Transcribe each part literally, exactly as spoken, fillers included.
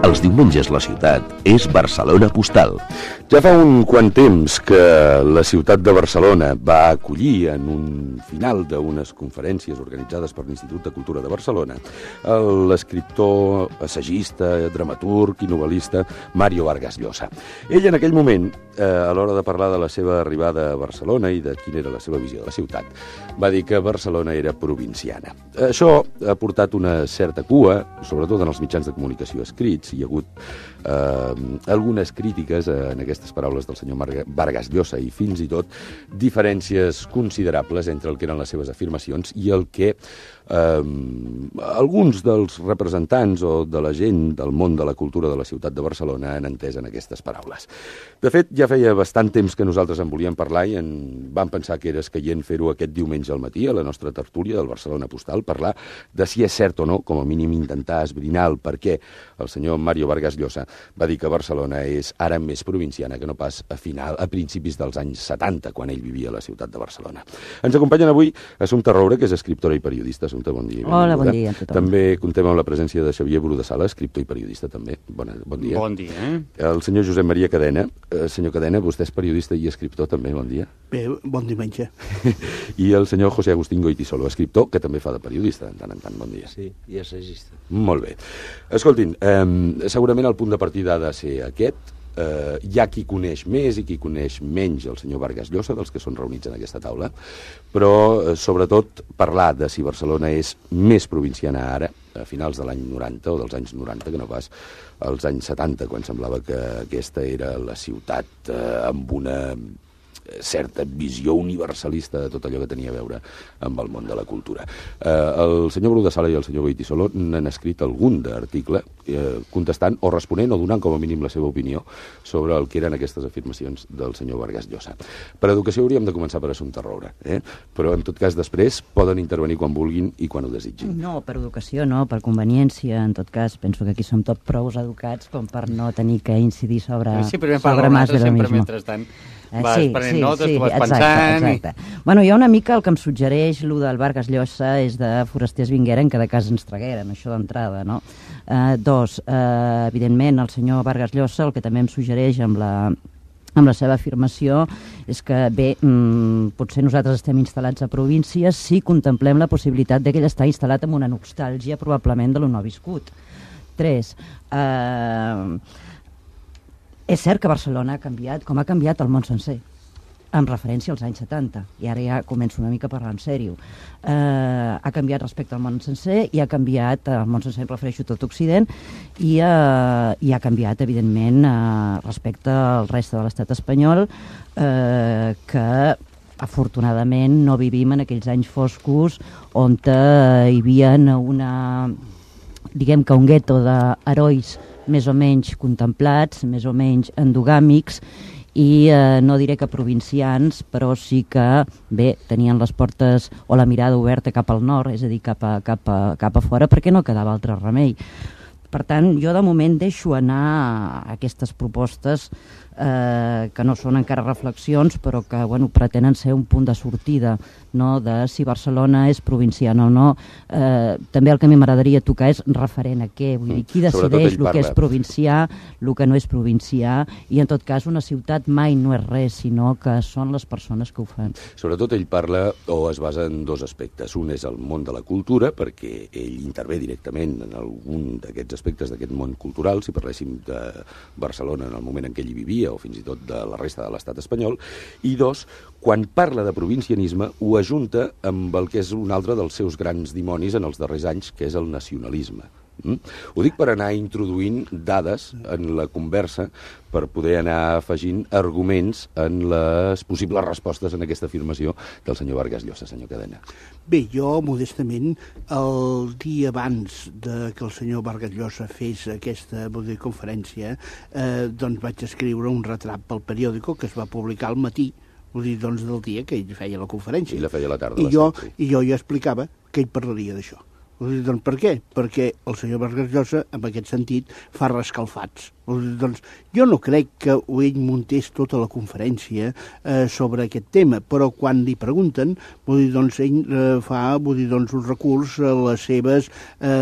Els diumenges la ciutat és Barcelona Postal. Ja fa un quant temps que la ciutat de Barcelona va acollir en un final d'unes conferències organitzades per l'Institut de Cultura de Barcelona l'escriptor, assagista, dramaturg i novel·lista Mario Vargas Llosa. Ell en aquell moment, eh, a l'hora de parlar de la seva arribada a Barcelona i de quina era la seva visió de la ciutat, va dir que Barcelona era provinciana. Això ha portat una certa cua, sobretot en els mitjans de comunicació escrits. Hi ha hagut eh, algunes crítiques en aquestes paraules del senyor Vargas Llosa i fins i tot diferències considerables entre el que eren les seves afirmacions i el que eh, alguns dels representants o de la gent del món de la cultura de la ciutat de Barcelona han entès en aquestes paraules. De fet, ja feia bastant temps que nosaltres en volíem parlar i en vam pensar que era escaient fer-ho aquest diumenge al matí a la nostra tertúlia del Barcelona Postal, parlar de si és cert o no, com a mínim intentar esbrinar el per què el senyor Mario Vargas Llosa va dir que Barcelona és ara més provinciana que no pas a final, a principis dels anys setanta, quan ell vivia a la ciutat de Barcelona. Ens acompanyen avui Assumpta Roure, que és escriptora i periodista. Assumpta, bon dia. Hola, bon dia a tothom. També contem amb la presència de Xavier Brudesala, escriptor i periodista també. Bona, bon dia. Bon dia. Eh? El senyor Josep Maria Cadena. Eh, senyor Cadena, vostè és periodista i escriptor també, bon dia. Bé, bon diumenge. I el senyor José Agustín Goytisolo, escriptor, que també fa de periodista, de tant en tant, bon dia. Sí, i assagista. Molt bé. Escoltin, eh, segurament el punt de partida ha de ser aquest. Eh, hi ha qui coneix més i qui coneix menys el senyor Vargas Llosa, dels que són reunits en aquesta taula, però eh, sobretot parlar de si Barcelona és més provinciana ara, a finals de l'any noranta o dels anys noranta, que no pas als anys setanta, quan semblava que aquesta era la ciutat eh, amb una certa visió universalista de tot allò que tenia a veure amb el món de la cultura. Eh, el senyor Brudesala i el senyor Goytisolo n'han escrit algun d'article eh, contestant o responent o donant com a mínim la seva opinió sobre el que eren aquestes afirmacions del senyor Vargas Llosa. Per educació hauríem de començar per Assumpta Roure, eh? Però en tot cas després poden intervenir quan vulguin i quan ho desitgin. No, per educació no, per conveniència. En tot cas, penso que aquí som tots prou educats com per no tenir que incidir sobre, sí, sobre más de lo sempre mismo. Mentrestant Eh, vas sí, prenent sí, notes, sí, tu vas exacte, pensant... Exacte. I... Bueno, hi ha una mica el que em suggereix el del Vargas Llosa és de forasters vingueren que de casa ens tragueren, això d'entrada, no? Eh, dos, eh, evidentment, el senyor Vargas Llosa el que també em suggereix amb la, amb la seva afirmació és que, bé, mmm, potser nosaltres estem instal·lats a províncies si contemplem la possibilitat de que ell està instal·lat amb una nostàlgia probablement de lo no viscut. Tres, eh... és cert que Barcelona ha canviat, com ha canviat el món sencer, amb referència als anys setanta, i ara ja començo una mica a parlar en sèrio. Eh, ha canviat respecte al món sencer i ha canviat, el món sencer em refereixo a tot Occident, i, eh, i ha canviat, evidentment, eh, respecte al reste de l'estat espanyol, eh, que afortunadament no vivim en aquells anys foscos on eh, hi havia una, diguem que un gueto d'herois més o menys contemplats, més o menys endogàmics, i eh, no diré que provincians, però sí que, bé, tenien les portes o la mirada oberta cap al nord, és a dir, cap a, cap a, cap a fora, perquè no quedava altre remei. Per tant, jo de moment deixo anar aquestes propostes eh, que no són encara reflexions, però que bueno, pretenen ser un punt de sortida, no? De si Barcelona és provinciana o no. Eh, també el que a mi m'agradaria tocar és referent a què, vull dir, qui decideix el que és provincià, el que no és provincià, i en tot cas una ciutat mai no és res, sinó que són les persones que ho fan. Sobretot ell parla o es basa en dos aspectes. Un és el món de la cultura, perquè ell intervé directament en algun d'aquests aspectes d'aquest món cultural, si parléssim de Barcelona en el moment en què ell hi vivia, o fins i tot de la resta de l'estat espanyol, i dos, quan parla de provincianisme ho ajunta amb el que és un altre dels seus grans dimonis en els darrers anys, que és el nacionalisme. Mm? Ho dic per anar introduint dades en la conversa per poder anar afegint arguments en les possibles respostes en aquesta afirmació del senyor Vargas Llosa, senyor Cadena. Bé, jo, modestament, el dia abans de que el senyor Vargas Llosa fes aquesta dir, conferència, eh, doncs vaig escriure un retrat pel periòdico que es va publicar al matí, vull dir, doncs, del dia que ell feia la conferència. I la feia a la tarda. I jo, i jo ja explicava que ell parlaria d'això. Doncs per què? Perquè el senyor Vargas Llosa, en aquest sentit, fa rescalfats. Doncs jo no crec que ell muntés tota la conferència eh, sobre aquest tema, però quan li pregunten, vull dir, doncs ell eh, fa vull dir, doncs, un recurs a les seves, eh,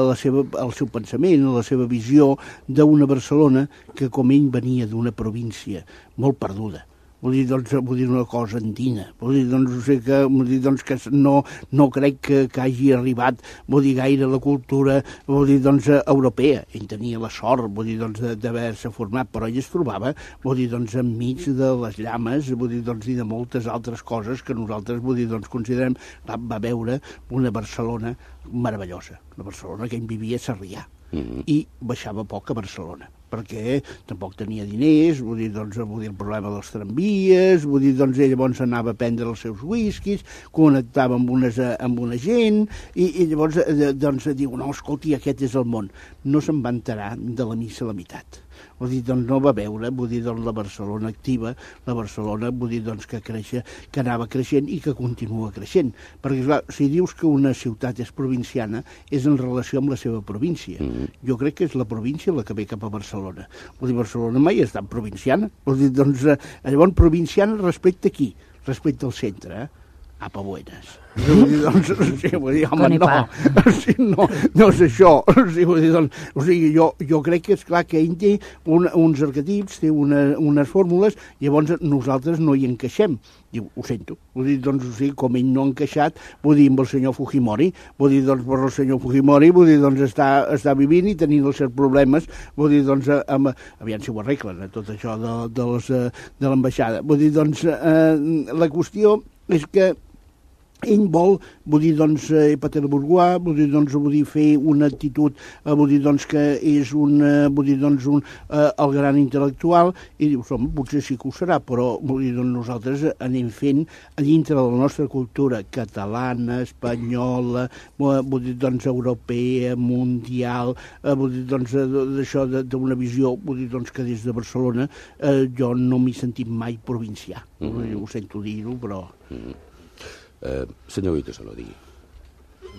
la seva, al seu pensament, a la seva visió d'una Barcelona que com ell venia d'una província molt perduda. Vull dir, doncs, vull dir una cosa andina. Vull dir, doncs, o sigui que, vull dir, doncs, que no, no crec que, que hagi arribat, vull dir, gaire la cultura, vull dir, doncs, europea. Ell tenia la sort, vull dir, doncs, d'haver-se format, però ell es trobava, vull dir, doncs, enmig de les llames, vull dir, doncs, i de moltes altres coses que nosaltres, vull dir, doncs, considerem, va veure una Barcelona meravellosa. Una Barcelona que ell vivia a Sarrià. Mm-hmm. I baixava poc a Barcelona, perquè tampoc tenia diners, vull dir, doncs, vull dir, el problema dels tramvies, vull dir, doncs, ell llavors anava a prendre els seus whiskies, connectava amb, unes, amb una gent, i, i llavors, doncs, diu, no, escolti, aquest és el món. No se'n va enterar de la missa a la meitat. Vull dir, doncs, no va veure, vull dir, doncs, la Barcelona activa, la Barcelona, vull dir, doncs, que creixia, que anava creixent i que continua creixent. Perquè, clar, si dius que una ciutat és provinciana, és en relació amb la seva província. Mm. Jo crec que és la província la que ve cap a Barcelona. Vull dir, Barcelona mai ha estat provinciana. Vull dir, doncs, llavors, provinciana respecte a qui? Respecte al centre, eh? Apa, buenas. Vull dir, doncs, o sigui, vull dir, home, no, o sigui, no, no és això. O sigui, vull dir, doncs, o sigui, jo, jo crec que és clar que ell té un, uns arquetips, té una, unes fórmules, i llavors nosaltres no hi encaixem. Diu, ho sento. Vull dir, doncs, o sigui, com ell no ha encaixat, vull dir, amb el senyor Fujimori, vull dir, doncs, per el senyor Fujimori, vull dir, doncs, està, està vivint i tenint els seus problemes, vull dir, doncs, amb, aviam si ho arreglen, eh, tot això de, de, les, de l'ambaixada. Vull dir, doncs, eh, la qüestió és que ell vol, vull dir, doncs, eh, Pater-Bourgeois, vull dir, doncs, vull dir, fer una actitud, eh, vull dir, doncs, que és un, eh, vull dir, doncs, un, eh, el gran intel·lectual, i dius, home, potser sí que ho serà, però, vull dir, doncs, nosaltres anem fent a dintre de la nostra cultura catalana, espanyola, vull dir, doncs, europea, mundial, eh, vull dir, doncs, d'això, d'una visió, vull dir, doncs, que des de Barcelona eh, jo no m'he sentit mai provincià. Mm-hmm. Ho sento dir-ho, però... Mm-hmm. Eh, senyor Guito, se lo digui.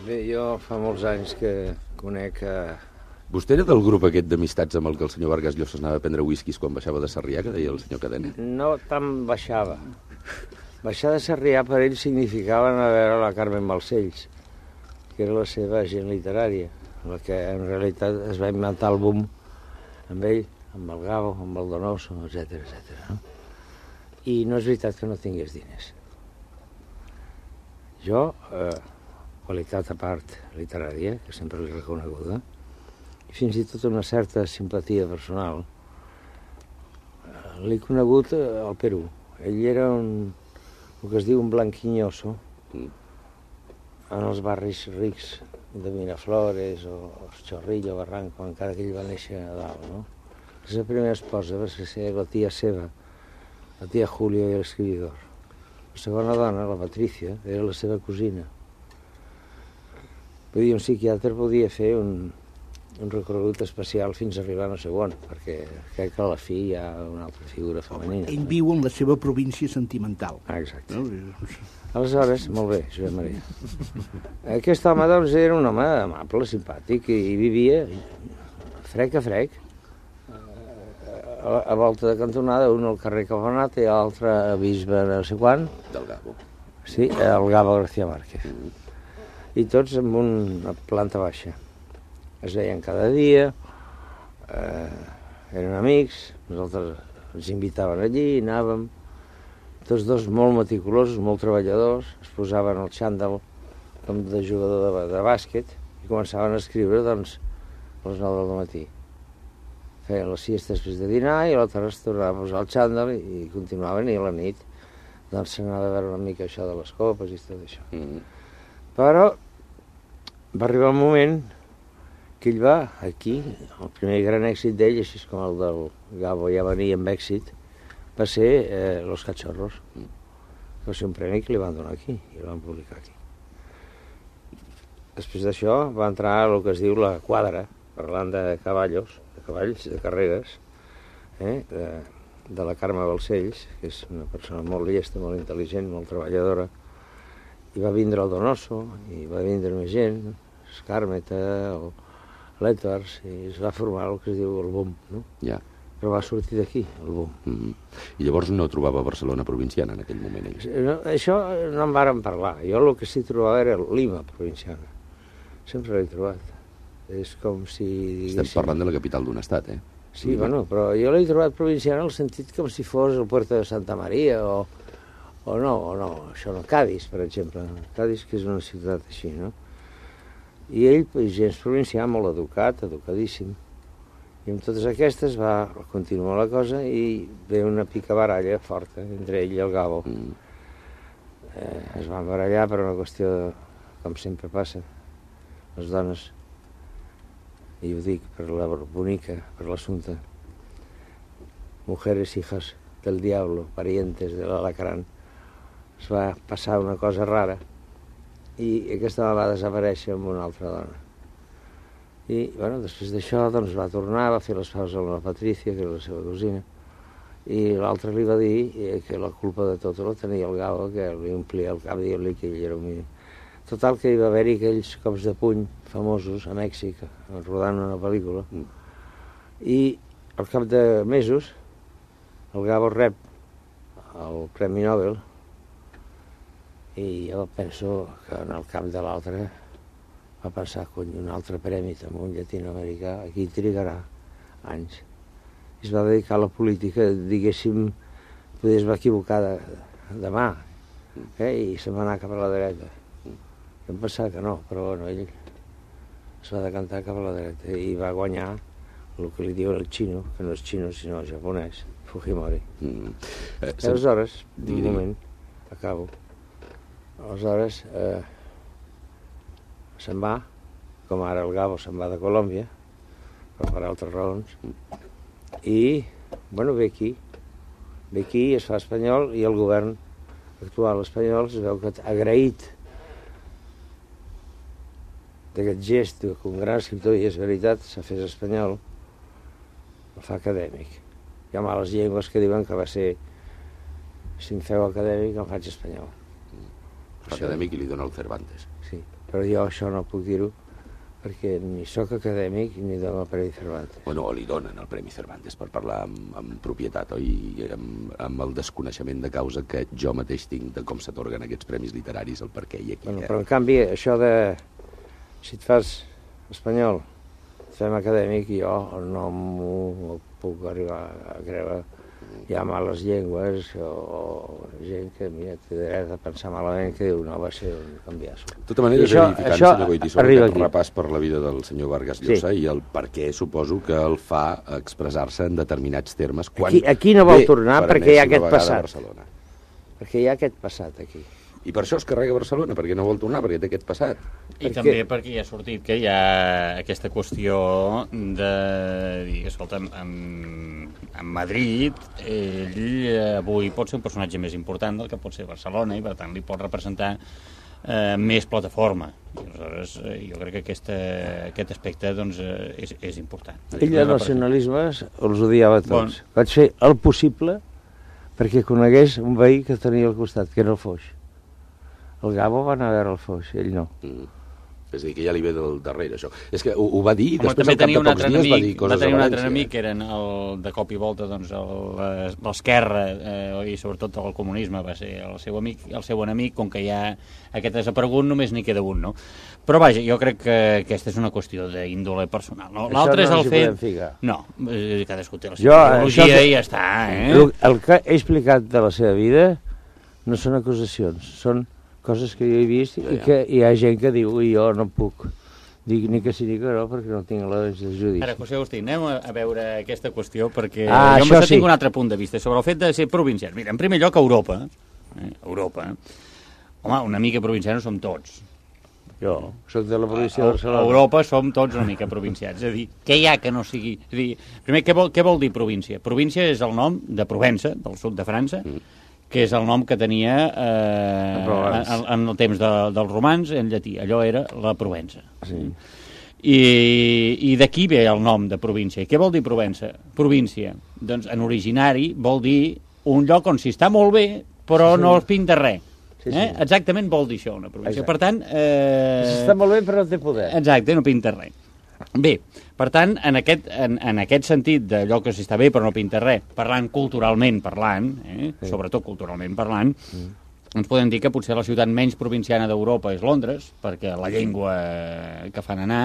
Bé, jo fa molts anys que conec... Eh... Vostè era del grup aquest d'amistats amb el que el senyor Vargas Llosa anava a prendre whiskies quan baixava de Sarrià, que deia el senyor Cadena? No tant baixava. Baixar de Sarrià per ell significava anar a veure la Carmen Balcells, que era la seva agent literària, la que en realitat es va inventar el boom amb ell, amb el Gabo, amb el Donoso, etcètera, etcètera. No? I no és veritat que no tingués diners. Jo, eh, qualitat a part literària, que sempre l'he reconeguda, i fins i tot una certa simpatia personal, eh, l'he conegut eh, al Perú. Ell era un, el que es diu un blanquinyoso, en els barris rics de Miraflores o Chorrillo, Barranco, encara que ell va néixer a dalt, no? La seva primera esposa va ser la tia seva, la tia Julio i l'escriptor. La segona dona, la Patricia, era la seva cosina. Vull dir, un psiquiatre podia fer un, un recorregut especial fins a arribar a no sé on, perquè crec que a la fi hi ha una altra figura femenina. Ell viu en la seva província sentimental. Ah, exacte. No? Aleshores, molt bé, Josep Maria. Aquest home, doncs, era un home amable, simpàtic, i vivia frec a frec, a volta de cantonada, un al carrer Caponat i l'altre a Bisbe no sé quan. Del Gabo. Sí, el Gabo García Márquez. I tots amb una planta baixa. Es veien cada dia, eh, eren amics, nosaltres ens invitaven allí, anàvem, tots dos molt meticulosos, molt treballadors, es posaven el xandall com de jugador de, de bàsquet i començaven a escriure, doncs, a les nou del matí. Feien la siesta després de dinar i a l'altre es tornava a posar el xandall i continuaven, i a la nit doncs s'anava a veure una mica això de les copes i tot això. Mm. Però va arribar un moment que ell va aquí, el primer gran èxit d'ell, així com el del Gabo ja venia amb èxit, va ser eh, Los Cachorros, mm. que va ser un premi que li van donar aquí i el van publicar aquí. Després d'això va entrar a el que es diu la quadra, parlant de cavallos, de cavalls, de carreres, eh, de, de la Carme Balcells, que és una persona molt llesta, molt intel·ligent, molt treballadora, i va vindre el Donoso, i va vindre més gent, Escàrmeta o l'Edwards, i es va formar el que es diu el boom, no? Ja. Però va sortir d'aquí, el boom. Mm. I llavors no trobava Barcelona provinciana en aquell moment, ell? No, això no en vàrem parlar. Jo el que sí trobava era Lima provinciana. Sempre l'he trobat. És com si... Estem parlant de la capital d'un estat, eh? Sí, Lima. Bueno, però jo l'he trobat provinciana en el sentit com si fos el Puerto de Santa Maria o, o no, o no, això no, Cádiz, per exemple. Cádiz, que és una ciutat així, no? I ell, pues, gens provincià, molt educat, educadíssim. I amb totes aquestes va continuar la cosa i ve una picabaralla forta entre ell i el Gabo. Mm. Eh, es van barallar per una qüestió, de, com sempre passa, les dones, i ho dic per la bonica, per l'assumpte. Mujeres hijas del diablo, parientes de l'alacrán. Es va passar una cosa rara i aquesta va desaparèixer amb una altra dona. I, bueno, després d'això, doncs, va tornar, va fer les paus amb la Patricia, que era la seva cosina, i l'altre li va dir que la culpa de tot la tenia el Gabo, que li omplia el cap dient-li que ell era un millor. Total, que hi va haver-hi aquells cops de puny famosos a Mèxic, rodant una pel·lícula, i al cap de mesos el Gabo rep el Premi Nobel i jo penso que en el cap de l'altre va pensar, cony, un altre premi amb un llatinoamericà, aquí trigarà anys. I es va dedicar a la política, diguéssim, potser es va equivocar de, de mà, eh? I se'n va anar cap a la dreta. Jo em pensava que no, però bueno, ell es va decantar cap a la dreta i va guanyar el que li diuen el xino, que no és xino sinó japonès, Fujimori. Mm. Eh, I aleshores, un moment, acabo, aleshores... Eh, se'n va, com ara el Gabo se'n va de Colòmbia, però per altres raons, i, bueno, ve aquí, ve aquí, es fa espanyol, i el govern actual espanyol es veu que agraït d'aquest gest, que un gran escriptor, i és veritat, s'ha fet espanyol, el fa acadèmic. Hi ha males llengües que diuen que va ser, si em feu acadèmic, em faig espanyol. Acadèmic i li dona el Cervantes. Sí. Però jo això no puc dir-ho perquè ni sóc acadèmic ni dono el Premi Cervantes. Bueno, o li donen el Premi Cervantes per parlar amb, amb propietat, oi? I amb, amb el desconeixement de causa que jo mateix tinc de com s'atorguen aquests premis literaris, el per què i aquí. Bueno, però en canvi, això de... si et fas espanyol, et fem acadèmic, jo no m'ho puc arribar a creure. Hi ha males llengües o gent que, mira, té dret a pensar malament, que diu, no, va ser un canviasso. De tota manera, això, verificant, això senyor Goytisolo, aquest aquí. Repàs per la vida del senyor Vargas Llosa, sí. I el per què suposo que el fa expressar-se en determinats termes quan aquí, aquí no vol tornar per perquè hi ha aquest passat. Perquè hi ha aquest passat aquí. I per això es carrega Barcelona, perquè no vol tornar, perquè té aquest passat. I perquè... també perquè ja ha sortit que hi ha aquesta qüestió de dir, escolta, en, en Madrid ell avui pot ser un personatge més important del que pot ser Barcelona i per tant li pot representar eh, més plataforma. I aleshores eh, jo crec que aquesta, aquest aspecte doncs, eh, és, és important. Ell de nacionalismes els odiava tots. Bon. Vaig fer el possible perquè conegués un veí que tenia al costat, que era el Foix. El Gabo va anar a veure el Foix, ell no. Mm. És a dir, que ja li ve del darrere, això. És que ho, ho va dir i Home, després al cap de pocs dies enemic, va dir coses a València. Va tenir un altre enemic, que eren el, de cop i volta doncs, l'esquerra eh, i sobretot el comunisme va ser el seu amic, el seu enemic, com que ja aquest desaparegut només n'hi queda un, no? Però vaja, jo crec que aquesta és una qüestió d'índole personal. No? L'altre no és el fet... Ficar. No, cadascú té la seva ideologia i ja està. Eh? El, el que he explicat de la seva vida no són acusacions, són coses que jo he vist i que hi ha gent que diu i jo no puc dir ni que sí ni que no perquè no tinc elements de judici. Ara, José Agustí, anem a veure aquesta qüestió perquè ah, jo sí. tinc un altre punt de vista sobre el fet de ser provincians. Mira, en primer lloc, Europa, eh, Europa, home, una mica provincians som tots. Jo soc de la província de Barcelona. A Europa som tots una mica provincians. És a dir, què hi ha que no sigui... És a dir, primer, què vol, què vol dir província? Província és el nom de Provença, del sud de França, mm. que és el nom que tenia eh, en, en el temps de, dels romans en llatí. Allò era la Provença. Sí. I, i d'aquí ve el nom de província. I què vol dir Provença? Província. Doncs en originari vol dir un lloc on s'hi està molt bé, però sí. no es pinta res. Sí, eh? sí. Exactament vol dir això, una província. Exacte. Per tant... Eh... Està molt bé, però no té poder. Exacte, no pinta res. Bé, per tant, en aquest, en, en aquest sentit d'allò que s'està bé però no pinta res, parlant culturalment parlant, eh? Sí. Sobretot culturalment parlant, mm. ens podem dir que potser la ciutat menys provinciana d'Europa és Londres, perquè la llengua que fan anar,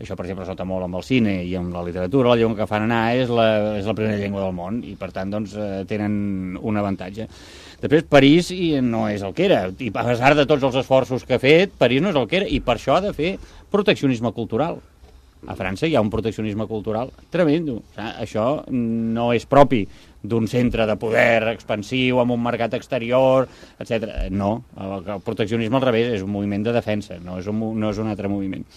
això, per exemple, es nota molt amb el cine i amb la literatura, la llengua que fan anar és la, és la primera llengua del món i, per tant, doncs, tenen un avantatge. Després, París no és el que era, i a pesar de tots els esforços que ha fet, París no és el que era, i per això ha de fer proteccionisme cultural. A França hi ha un proteccionisme cultural tremendo. O sigui, això no és propi d'un centre de poder expansiu amb un mercat exterior, etcètera. No, el proteccionisme al revés és un moviment de defensa, no és un, no és un altre moviment.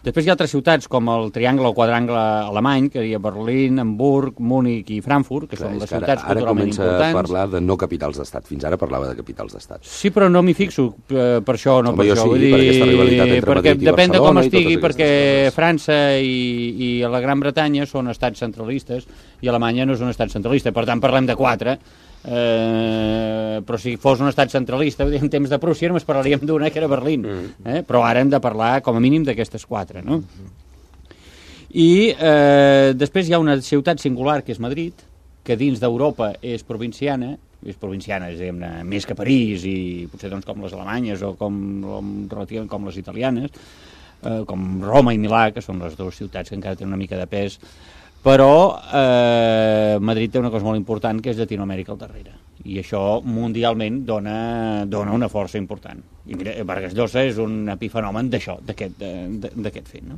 Després hi ha altres ciutats com el triangle o quadrangle alemany, que hi ha Berlín, Hamburg, Múnich i Frankfurt, que Clar, són les ciutats ara, culturalment importants. Ara comença a parlar de no capitals d'estat. Fins ara parlava de capitals d'estat. Sí, però no m'hi fixo eh, per això, no Home, per això. Sí, Vull dir, per aquesta rivalitat entre perquè Madrid i depèn de com estigui, perquè coses. França i, i la Gran Bretanya són estats centralistes i Alemanya no és un estat centralista. Per tant, parlem de quatre. Eh, però si fos un estat centralista en temps de Prússia només parlaríem d'una que era Berlín, eh? Però ara hem de parlar com a mínim d'aquestes quatre, no? I eh, després hi ha una ciutat singular que és Madrid, que dins d'Europa és provinciana, és provinciana, és diguem-ne, més que París i potser doncs com les alemanyes o com, relativament com les italianes, eh, com Roma i Milà, que són les dues ciutats que encara tenen una mica de pes. Però eh, Madrid té una cosa molt important, que és Llatinoamèrica al darrere. I això mundialment dona, dona una força important. I mira, Vargas Llosa és un epifenomen d'això, d'aquest fet, no?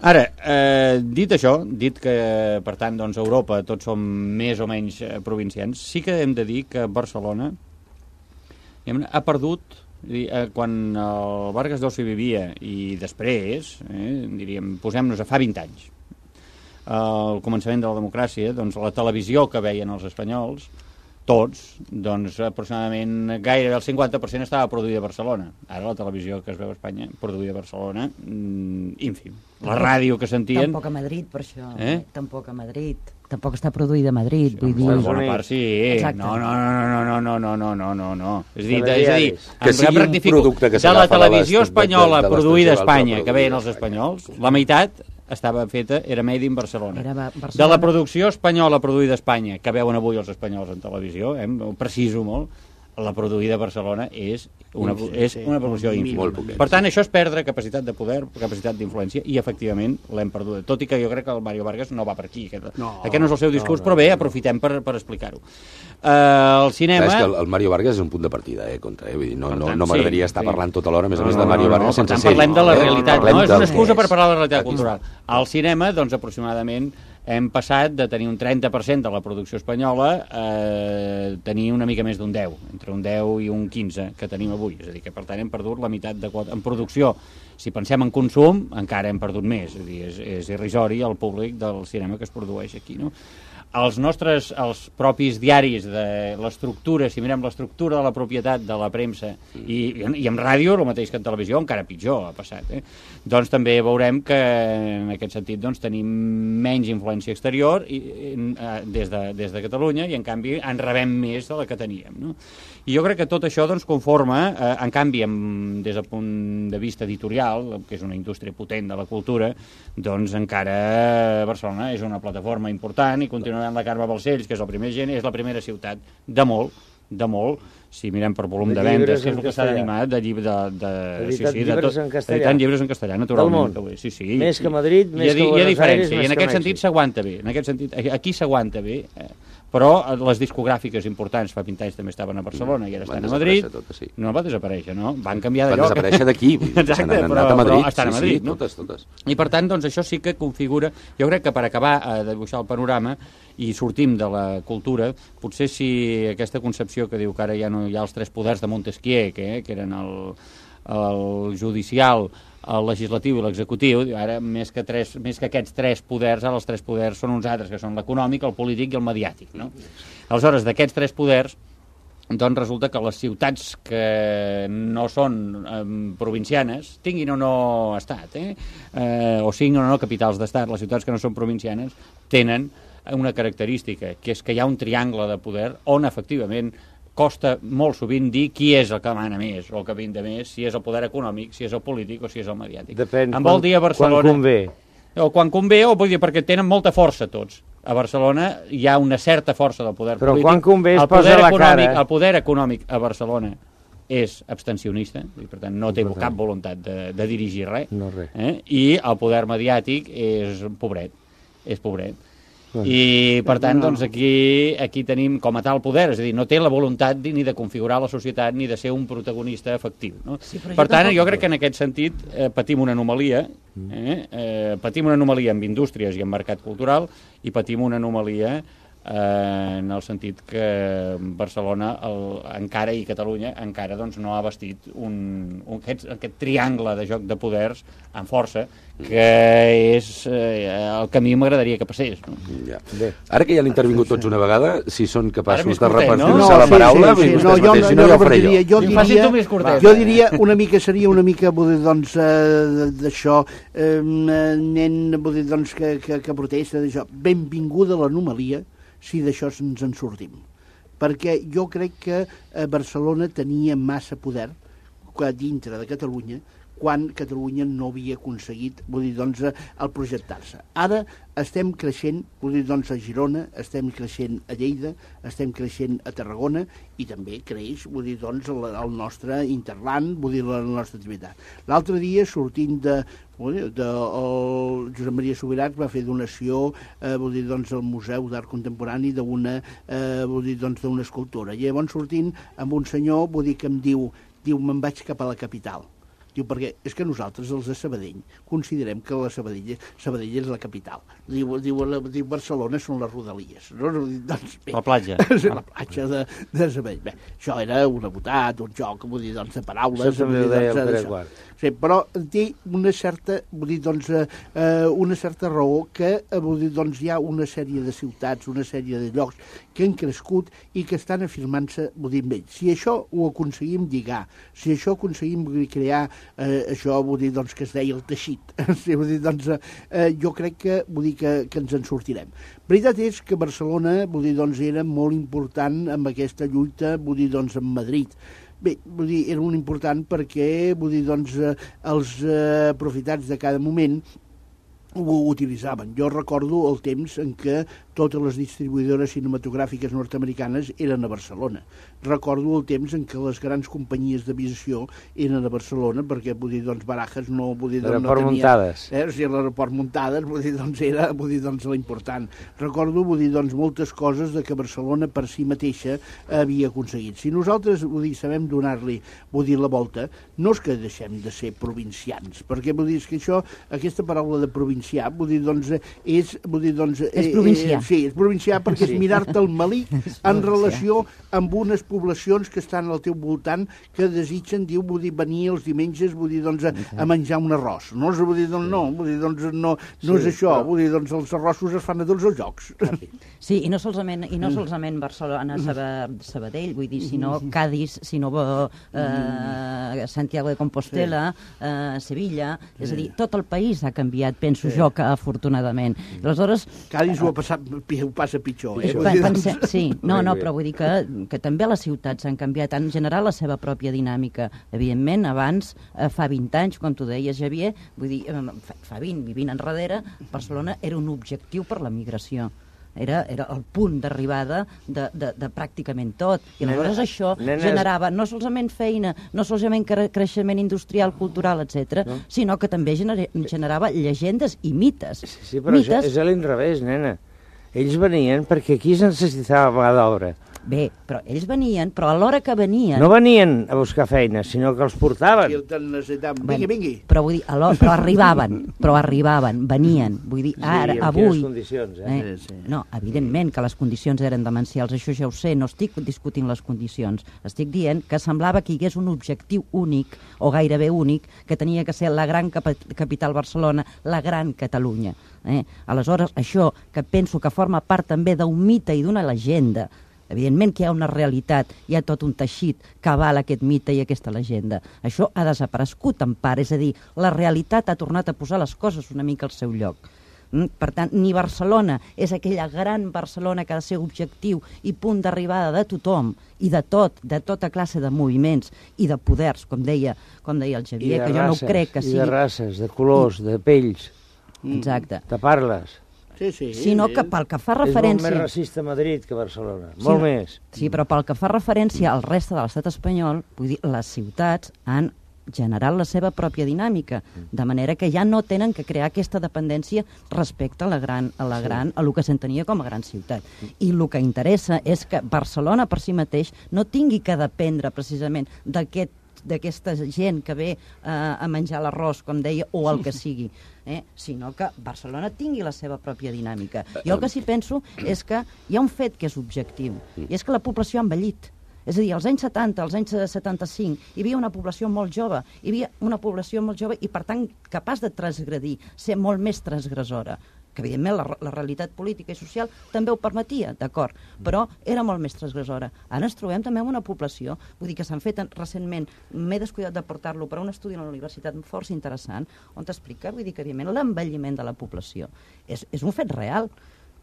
Ara, eh, dit això, dit que, per tant, doncs, Europa tots som més o menys eh, provincians, sí que hem de dir que Barcelona ha perdut, eh, quan el Vargas Llosa vivia i després, eh, diríem, posem-nos a fa vint anys, al començament de la democràcia, doncs la televisió que veien els espanyols, tots, doncs aproximadament gairebé el cinquanta per cent estava produïda a Barcelona. Ara la televisió que es veu a Espanya, produïda a Barcelona, mmm, ínfim. La ràdio que sentien... Tampoc a Madrid, per això. Eh? Tampoc a Madrid. Tampoc està produïda a Madrid. Sí, vull dir... en bona part sí. Exacte. No, no, no, no, no, no, no, no, no, no. És a dir, De és a dir, que sigui un producte que de la s'agafa de televisió les- espanyola de- de- de produïda a l'estranger, Espanya, l'altra que veien els produïda a espanyols, la meitat estava feta, era made in Barcelona. Era Ba- Barcelona. De la producció espanyola produïda a Espanya, que veuen avui els espanyols en televisió, eh, ho preciso molt, la produïda a Barcelona és una, és una proporció ínfima. Molt poquet. Per tant, això és perdre capacitat de poder, capacitat d'influència, i efectivament l'hem perduda. Tot i que jo crec que el Mario Vargas no va per aquí. Aquest no, aquest no és el seu discurs, no, no, però bé, aprofitem per, per explicar-ho. Uh, el cinema... Clar, és que el, el Mario Vargas és un punt de partida, eh, contra, eh? Vull dir, no, no, tant, no m'agradaria sí, estar sí. parlant tota l'hora, a més a No, més, no, de Mario no, no, Vargas per sense tant, ser. parlem de la eh? realitat, Parlem no? És del una excusa que per és. parlar de la realitat cultural. Al cinema, doncs, aproximadament, hem passat de tenir un trenta per cent de la producció espanyola a eh, tenir una mica més d'un deu, entre un deu i un quinze que tenim avui. És a dir, que per tant hem perdut la meitat de quota. En producció, si pensem en consum, encara hem perdut més. És a dir, és, és irrisori el públic del cinema que es produeix aquí, no? Els nostres, els propis diaris de l'estructura, si mirem l'estructura de la propietat de la premsa, i, i en ràdio, el mateix que en televisió, encara pitjor ha passat, eh? Doncs també veurem que en aquest sentit doncs, tenim menys influència exterior i, eh, des, de, des de Catalunya, i en canvi en rebem més de la que teníem, no? I jo crec que tot això doncs, conforma, eh, en canvi, amb, des del punt de vista editorial, que és una indústria potent de la cultura, doncs encara Barcelona és una plataforma important i continuarà la Carme Balcells, que és el primer gent, és la primera ciutat de molt, de molt, si mirem per volum de, De vendes, llibres que és en el que s'ha castellà. d'animar, de llibre de, de, sí, Editat sí, de llibres tot, en castellà. editant llibres en castellà, naturalment. Del món. Sí, sí. Més que Madrid, I més hi ha, que hi ha Buenos diferència, Aires, i en més que aquest sentit Mèxic. s'aguanta bé, en aquest sentit, aquí s'aguanta bé, eh? Però les discogràfiques importants fa vint anys també estaven a Barcelona i ara estan Van a Madrid. desaparèixer totes, sí. No va desaparèixer, no? Van canviar de Van lloc. desaparèixer d'aquí, vull dir, Exacte, se n'han però, anat a Madrid. però estan sí, a Madrid, sí, no? totes, totes. I per tant, doncs, això sí que configura... Jo crec que per acabar eh, de dibuixar el panorama i sortim de la cultura, potser si aquesta concepció que diu que ara ja no hi ha els tres poders de Montesquieu, que, eh, que eren el, el judicial, el legislatiu i l'executiu, ara més que, tres, més que aquests tres poders, ara els tres poders són uns altres, que són l'econòmic, el polític i el mediàtic, no? Aleshores, d'aquests tres poders, doncs resulta que les ciutats que no són eh, provincianes, tinguin o no estat, eh? Eh, o siguin o no capitals d'estat, les ciutats que no són provincianes tenen una característica, que és que hi ha un triangle de poder on efectivament costa molt sovint dir qui és el que mana més o el que vinda més, si és el poder econòmic, si és el polític o si és el mediàtic. Depèn, em vol dir a Barcelona, quan convé. O quan convé, o vull dir, perquè tenen molta força tots. A Barcelona hi ha una certa força del poder Però polític. Però quan convé es el posa la cara. El poder econòmic a Barcelona és abstencionista, i per tant no té cap voluntat de, de dirigir res, no res. Eh? I el poder mediàtic és pobret, és pobret. I, per tant, doncs, aquí, aquí tenim com a tal poder, és a dir, no té la voluntat ni de configurar la societat ni de ser un protagonista efectiu. No? Sí, per tant, jo crec que en aquest sentit eh, patim una anomalia, eh? Eh, patim una anomalia amb indústries i en mercat cultural i patim una anomalia eh, en el sentit que Barcelona el, encara i Catalunya encara doncs, no ha vestit un, un, aquest, aquest triangle de joc de poders amb força que és eh, el que a mi m'agradaria que passés. No? Ja. Ara que ja han intervingut tots una vegada, si són capaços de repartir-se no? la paraula, sí, sí, sí. no, jo, mateix, no, no, jo, diria, jo, diria, curtet, jo diria una mica, seria una mica doncs, eh, d'això, eh, nen doncs, que, que, que protesta d'això. Benvinguda a l'anomalia si d'això ens en sortim. Perquè jo crec que Barcelona tenia massa poder dintre de Catalunya quan Catalunya no havia aconseguit, vull dir, doncs, el projectar-se. Ara estem creixent, vull dir, doncs, a Girona, estem creixent a Lleida, estem creixent a Tarragona i també creix, vull dir, doncs, el, el nostre interland, vull dir, la nostra activitat. L'altre dia, sortint de, vull dir, de, el Josep Maria Subirats va fer donació, eh, vull dir, doncs, al Museu d'Art Contemporani d'una, eh, vull dir, doncs, d'una escultura. I llavors sortint amb un senyor, vull dir, que em diu, diu, me'n vaig cap a la capital. Diu, perquè és que nosaltres, els de Sabadell, considerem que la Sabadell, Sabadell és la capital. Diu, diu, la, diu Barcelona són les rodalies. No? Doncs, bé, la platja. La platja de, de Sabadell. Bé, això era una botat, un joc, vull dir, doncs, de paraules. Això també ho deia el Pere Quart. Sí, però té una certa, vull dir, doncs, eh, una certa raó que, vull dir, doncs, hi ha una sèrie de ciutats, una sèrie de llocs que han crescut i que estan afirmant-se, vull dir, amb ells. Si això ho aconseguim lligar, si això aconseguim crear Eh, això vull dir doncs, que es deia el teixit. Sí, vull dir, doncs, eh, jo crec que, vull dir que, que ens en sortirem. Veritat és que Barcelona vull dir, doncs, era molt important amb aquesta lluita vull dir, doncs, amb Madrid. Bé, vull dir, era molt important perquè vull dir, doncs, eh, els eh, aprofitats de cada moment ho utilitzaven. Jo recordo el temps en què totes les distribuïdores cinematogràfiques nord-americanes eren a Barcelona. Recordo el temps en què les grans companyies d'aviació eren a Barcelona, perquè, vull dir, doncs, Barajas no, vull dir, doncs, no tenia... muntades. Eh, o sigui, l'aeroport muntades, vull dir, doncs, era, vull dir, doncs, l'important. Recordo, vull dir, doncs, moltes coses de que Barcelona per si mateixa havia aconseguit. Si nosaltres, vull dir, sabem donar-li, vull dir, la volta, no és que deixem de ser provincians, perquè, vull dir, és que això, aquesta paraula de provincià, vull dir, doncs, és, vull dir, doncs... És provincià. Eh, sí, és provincià perquè és mirar-te el melic en relació amb unes poblacions que estan al teu voltant que desitgen, diu, vull dir, venir els diumenges, vull dir, doncs, a, a menjar un arròs. No, vull dir, doncs, no, vull dir, doncs, no, no és això, vull dir, doncs, els arrossos es fan a tots els jocs. Sí, i no solament, i no solament Barcelona, Sabadell, vull dir, sinó Cádiz, sinó eh, Santiago de Compostela, eh, Sevilla, és a dir, tot el país ha canviat, penso jo, que afortunadament. Aleshores... Cádiz ho ha passat, ho passa pitjor, eh? Pensem, sí, no, no, però vull dir que, que també les ciutats han canviat, han generat la seva pròpia dinàmica. Evidentment, abans, eh, fa vint anys, com tu deies, Javier, vull dir, fa, fa vint, vivint enrere, Barcelona era un objectiu per la migració. Era, era el punt d'arribada de, de, de pràcticament tot. I aleshores això nenes... generava no solament feina, no solament cre creixement industrial, cultural, etcètera, no? Sinó que també gener generava llegendes i mites. Sí, sí però mites... és a l'inrevés, nena. Ells venien perquè aquí es necessitava mà d'obra. Bé, però ells venien, però a l'hora que venien... No venien a buscar feina, sinó que els portaven. Vingui, vingui. Però vull dir, però arribaven, però arribaven, venien. Vull dir, ara, sí, avui... condicions, eh? eh? Sí, sí. No, evidentment que les condicions eren demencials, això ja ho sé, no estic discutint les condicions. Estic dient que semblava que hi hagués un objectiu únic, o gairebé únic, que tenia que ser la gran cap capital Barcelona, la gran Catalunya. Eh? Aleshores, això que penso que forma part també d'un mite i d'una llegenda. Evidentment que hi ha una realitat, hi ha tot un teixit que avala aquest mite i aquesta llegenda. Això ha desaparegut en part, és a dir, la realitat ha tornat a posar les coses una mica al seu lloc. Mm? Per tant, ni Barcelona és aquella gran Barcelona que ha de ser objectiu i punt d'arribada de tothom i de tot, de tota classe de moviments i de poders, com deia, com deia el Xavier, de que jo races, no crec que sigui... I de races, de colors, I... de pells. Exacte. De parles. Sí, sí. Sinó que pel que fa referència... És molt més racista Madrid que Barcelona, molt sí, més. Sí, però pel que fa referència al reste de l'estat espanyol, vull dir, les ciutats han generat la seva pròpia dinàmica, de manera que ja no tenen que crear aquesta dependència respecte a la gran, a la gran, a lo que s'entenia com a gran ciutat. I el que interessa és que Barcelona per si mateix no tingui que dependre precisament d'aquest d'aquesta gent que ve eh, a menjar l'arròs, com deia, o el que sigui, eh? sinó que Barcelona tingui la seva pròpia dinàmica. Jo el que sí penso és que hi ha un fet que és objectiu, i és que la població ha envellit. És a dir, als anys setanta, als anys setanta-cinc, hi havia una població molt jove, hi havia una població molt jove i, per tant, capaç de transgredir, ser molt més transgressora, que evidentment la, la realitat política i social també ho permetia, d'acord, però era molt més transgressora. Ara ens trobem també amb una població, vull dir que s'han fet recentment, m'he descuidat de portar-lo per a un estudi a la universitat força interessant, on t'explica, vull dir que evidentment l'envelliment de la població és, és un fet real.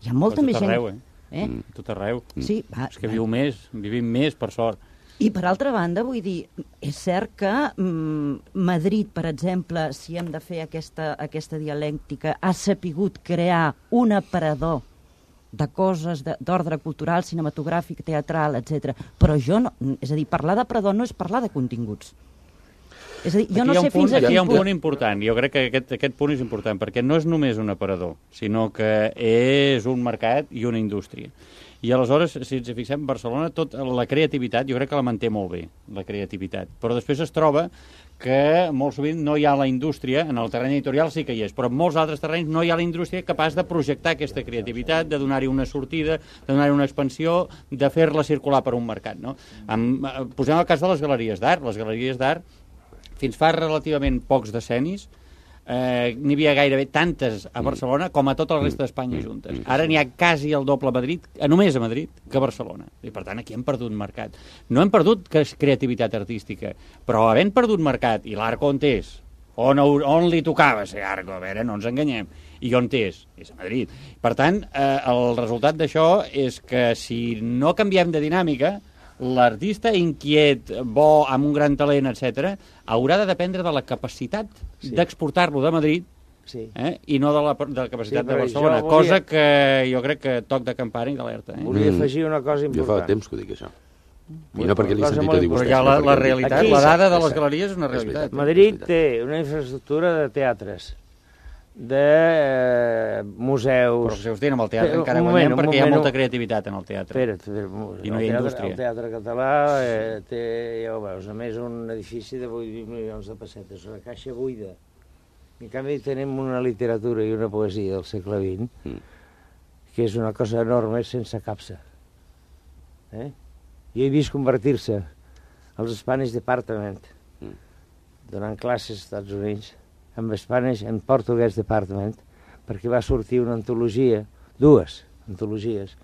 Hi ha molta més gent... Arreu, eh? Eh? Mm. Tot arreu. Sí, va, és que viu més, vivim més, per sort. I per altra banda, vull dir, és cert que mm, Madrid, per exemple, si hem de fer aquesta, aquesta dialèctica, ha sapigut crear un aparador de coses d'ordre cultural, cinematogràfic, teatral, etcètera. Però jo no... És a dir, parlar d'aparador no és parlar de continguts. És a dir, jo aquí no sé punt, fins a aquí quin hi ha un punt... punt important, jo crec que aquest, aquest punt és important, perquè no és només un aparador, sinó que és un mercat i una indústria. I aleshores, si ens fixem, Barcelona, tota la creativitat, jo crec que la manté molt bé, la creativitat. Però després es troba que molt sovint no hi ha la indústria, en el terreny editorial sí que hi és, però en molts altres terrenys no hi ha la indústria capaç de projectar aquesta creativitat, de donar-hi una sortida, de donar-hi una expansió, de fer-la circular per un mercat. No? Amb, posem el cas de les galeries d'art. Les galeries d'art, fins fa relativament pocs decennis, eh, n'hi havia gairebé tantes a Barcelona com a tota la resta d'Espanya juntes. Ara n'hi ha quasi el doble a Madrid, a només a Madrid, que a Barcelona. I per tant, aquí hem perdut mercat. No hem perdut creativitat artística, però havent perdut mercat, i l'Arco on és, on, on li tocava ser Arco, a veure, no ens enganyem, i on és? És a Madrid. Per tant, eh, el resultat d'això és que si no canviem de dinàmica, l'artista inquiet, bo, amb un gran talent, etcètera, haurà de dependre de la capacitat sí. d'exportar-lo de Madrid sí. eh, i no de la, de la capacitat sí, de Barcelona, volia... cosa que jo crec que toc de campana i d'alerta. Eh? Volia afegir una cosa important. Jo fa temps que ho dic, això. I no perquè l'he sentit a dir vostès. Però ja la, la realitat, aquí, la dada de les galeries és una realitat. Madrid té una infraestructura de teatres, de eh, museus... Però si us diuen amb el teatre encara moment, guanyem perquè moment, hi ha molta creativitat en el teatre. Espera, i no hi ha teatre, indústria. El Teatre Català eh, té, ja ho veus, a més un edifici de vuit milions de pessetes, una caixa buida. En canvi tenim una literatura i una poesia del segle vint, mm. que és una cosa enorme sense capsa. Eh? Jo he vist convertir-se als Spanish Department, mm. donant classes als Estats Units, amb Spanish and Portuguese Department, perquè va sortir una antologia, dues antologies,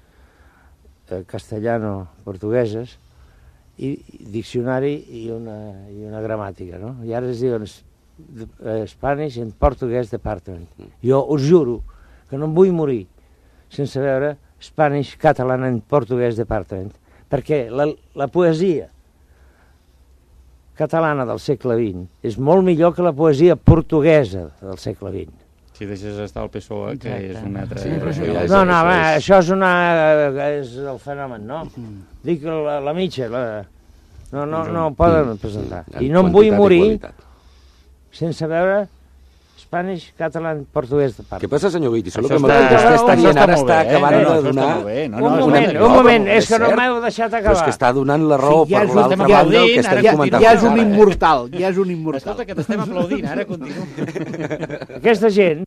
eh, castellano-portugueses, i, i diccionari i una, i una gramàtica, no? I ara es diuen eh, Spanish and Portuguese Department. Jo us juro que no em vull morir sense veure Spanish, Catalan and Portuguese Department, perquè la, la poesia catalana del segle vint és molt millor que la poesia portuguesa del segle vint. Si deixes estar el P S O E, que Exacte. és una altra... Sí, però això ja és, no, no, això va, és... això és una... és el fenomen, no? Dic la, la mitja, la... no, no, no ho poden presentar. I no em vull morir sense veure Spanish, Catalan, Portuguès de part. Què passa, senyor Guiti? Solo Això que està- vostè està això dient està ara molt està bé, eh? acabant No, no, de això està donar... molt bé. No, Un no, és moment, una- un no, moment, però és que no cert. m'heu deixat Però és acabar. que està donant la raó Sí, ja per és un- l'altra ja banda el aplaudint, que ara estem continua. comentant. Ja és un Ara, eh? immortal, ja és un immortal. Escolta, que t'estem aplaudint, ara continua. Aquesta gent